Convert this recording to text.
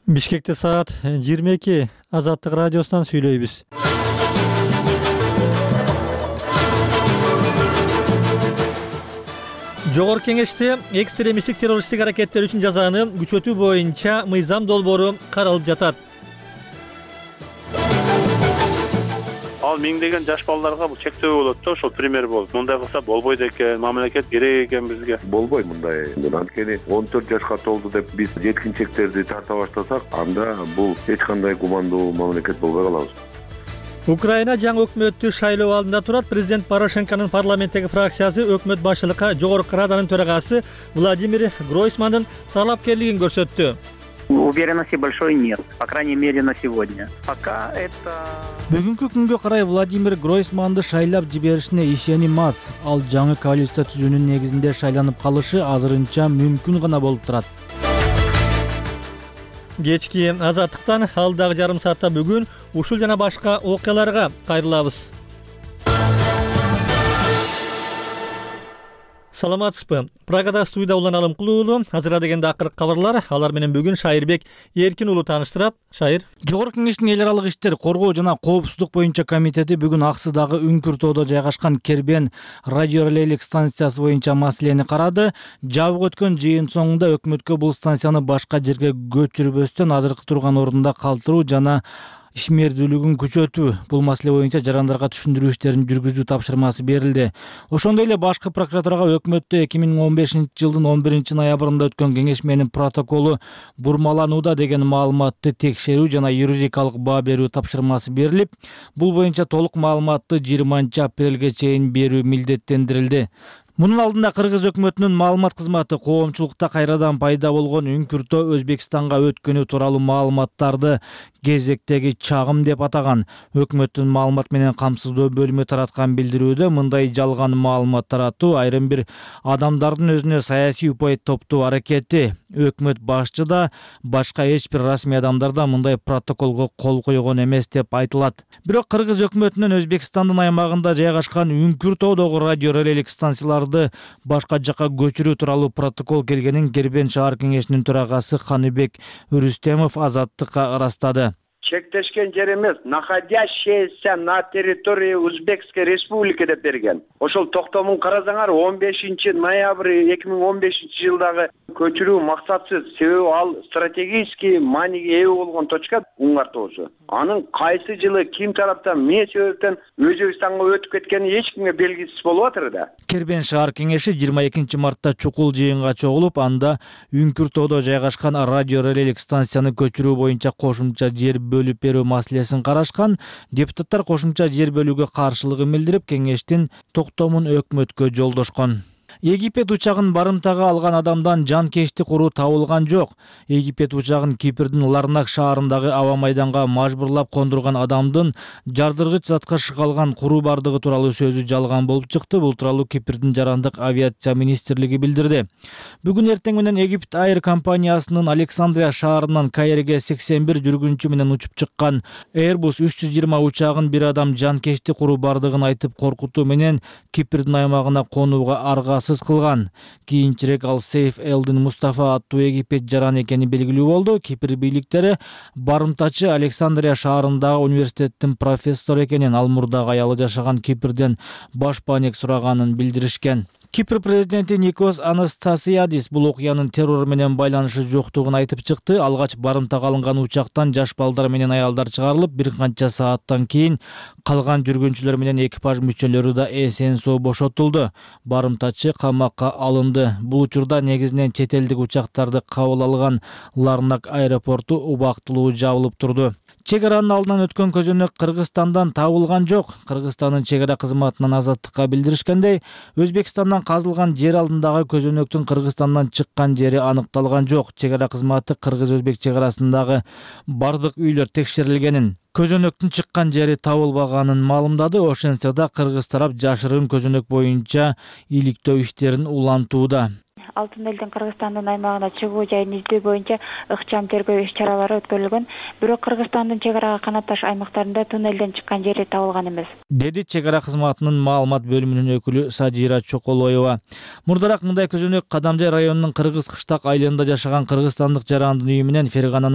Бишкекте саат 22 Азаттык радиосунан сүйлөйбүз. Жогорку Кеңеште экстремисттик террористтик аракеттер үчүн жазаны күчөтүү боюнча мыйзам долбоору каралып жатат. Ал миңдеген жаш балдарга бул чектөө болот да, ошол пример болуп. Мындай кылса болбойт экен, мамлекет керек экен бизге. Болбойт мындай. Анткени 14 жашка толду деп биз жеткинчектерди тарта баштасак, анда бул эч кандай гумандуу мамлекет болбой калабыз. Украина жаңы өкмөттү шайлоо алдында турат. Президент Порошенконун парламенттеги фракциясы өкмөт башчылыкка Жогорку Раданын төрагасы Владимир Гройсмандын талапкерлигин көрсөттү. Уверенности большой нет, по крайней мере на сегодня. Пока это... Бүгүнкү күнгө карай Владимир Гройсманды шайлап жиберишине ишеним аз. Ал жаңы коалиция түзүүнүн негизинде шайланып калышы азырынча мүмкүн гана болуп турат. Кечки Азаттыктан алдагы жарым саатта бүгүн ушул жана башка окуяларга кайрылабыз. Саламатсызбы? Прагада студияда Улан Алымкулуу. Азыр дегенде акыркы кабарлар. Алар менен бүгүн Шайырбек Эркин уулу тааныштырат. Шайыр. Жогорку Кеңештин эл аралык иштер коргоо жана коопсуздук боюнча комитети бүгүн Аксыдагы Үңкүр-тоодо жайгашкан Кербен радиорелейлик станциясы боюнча маселени карады. Жабык өткөн жыйын соңунда өкмөткө бул станцияны башка жерге көчүрбөстөн азыркы турган ордунда калтыруу жана ишмердүүлүгүн күчөтүү бул маселе боюнча жарандарга түшүндүрүү иштерин жүргүзүү тапшырмасы берилди. Ошондой эле башкы прокуратурага өкмөттө 2015-жылдын 11-ноябрында өткөн кеңешменин протоколу бурмаланууда деген маалыматты текшерүү жана юридикалык баа берүү тапшырмасы берилип, бул боюнча толук маалыматты 20-апрелге чейин берүү милдеттендирилди. Мунун алдында Кыргыз өкмөтүнүн маалымат кызматы коомчулукта кайрадан пайда болгон Үңкүр-тоо Өзбекстанга өткөнү тууралуу маалыматтарды кезектеги чагым деп атаган. Өкмөттүн маалымат менен камсыздоо бөлүмү тараткан билдирүүдө мындай жалган маалымат таратуу айрым бир адамдардын өзүнө саясий упай топтоо аракети. Өкмөт башчы да, башка эч бир расмий адамдар да мындай протоколго кол койгон эмес деп айтылат. Бирок Кыргыз өкмөтүнүн Өзбекстандын аймагында жайгашкан Үңкүр-тоодогу радиорелейлик станцияларды башка жакка көчүрүү тууралуу протокол келгенин Кербен шаар кеңешинин төрагасы Каныбек Үрүстемов Азаттыкка ырастады. Чектешкен жер эмес, находящаяся на территории Узбекской республики деп берген. Ошол токтомун карасаңар 15 ноябрь 2015 жылдагы көчүрүү максатсыз, себеби ал стратегический мааниге ээ болгон точка Уңгар тоосу. Анын кайсы жылы ким тараптан эмне себептен Өзбекстанга өтүп кеткени эч кимге белгисиз болуп атыр да. Кербен шаар кеңеши 22 мартта чукул жыйынга чогулуп, анда Үңкүр-тоодо жайгашкан радиорелейлик станцияны көчүрүү боюнча кошумча жер бөлүп берүү маселесин карашкан. Депутаттар кошумча жер бөлүүгө каршылыгын билдирип, кеңештин токтомун өкмөткө жолдошкон. Египет учагын барымтага алган адамдан жанкечтик уруу табылган жок. Египет учагын Кипрдин Ларнак шаарындагы аба майданга мажбурлап кондурган адамдын жардыргыч затка шыгалган куруу бардыгы тууралуу сөзү жалган болуп чыкты. Бул тууралуу Кипрдин жарандык авиация министрлиги билдирди. Бүгүн эртең менен Египет Air компаниясынын Александрия шаарынан Каирге 81 жүргүнчү менен учуп чыккан Airbus 320 учагын бир адам жанкечтик куруу бардыгын айтып коркутуу менен Кипрдин аймагына конууга аргасыз кылган. Кийинчерээк ал Сейф Элдин Мустафа аттуу Египет жаран экени белгилүү болду. Кипр бийликтери барымтачы Александрия шаарындагы университеттин профессору экенин, ал мурдагы аялы жашаган Кипрден баш паник сураганын билдиришкен. Кипр президенти Никос Анастасиадис бул окуянын террор менен байланышы жоктугун айтып чыкты. Алгач барымтага алынган учактан жаш балдар менен аялдар чыгарылып, бир канча сааттан кийин калган жүргүнчүлөр менен экипаж мүчөлөрү да эсен соо бошотулду. Барымтачы камакка алынды. Бул учурда негизинен чет элдик учактарды кабыл алган Ларнак аэропорту убактылуу жабылып турду. Чек аранын алдынан өткөн көзөнөк Кыргызстандан табылган жок. Кыргызстандын чек ара кызматынан Азаттыкка билдиришкендей, Өзбекстандан казылган жер алдындагы көзөнөктүн Кыргызстандан чыккан жери аныкталган жок. Чек ара кызматы кыргыз-өзбек чек арасындагы бардык үйлөр текшерилгенин, көзөнөктүн чыккан жери табылбаганын маалымдады. Ошентсе да Кыргыз тарап жашырын көзөнөк боюнча иликтөө иштерин улантууда. Алтын элдин Кыргызстандын аймагына чыгуу жайын издөө боюнча ыкчам тергөө иш-чаралары өткөрүлгөн. Бирок Кыргызстандын чек арага канатташ аймактарында туннелден чыккан жери табылган эмес, деди чек ара кызматынын маалымат бөлүмүнүн өкүлү Сажира Чоколоева. Мурдараак мындай көзөнөк Кадамжай районунун Кыргыз Кыштак айылында жашаган кыргызстандык жарандын үйү менен Фергананын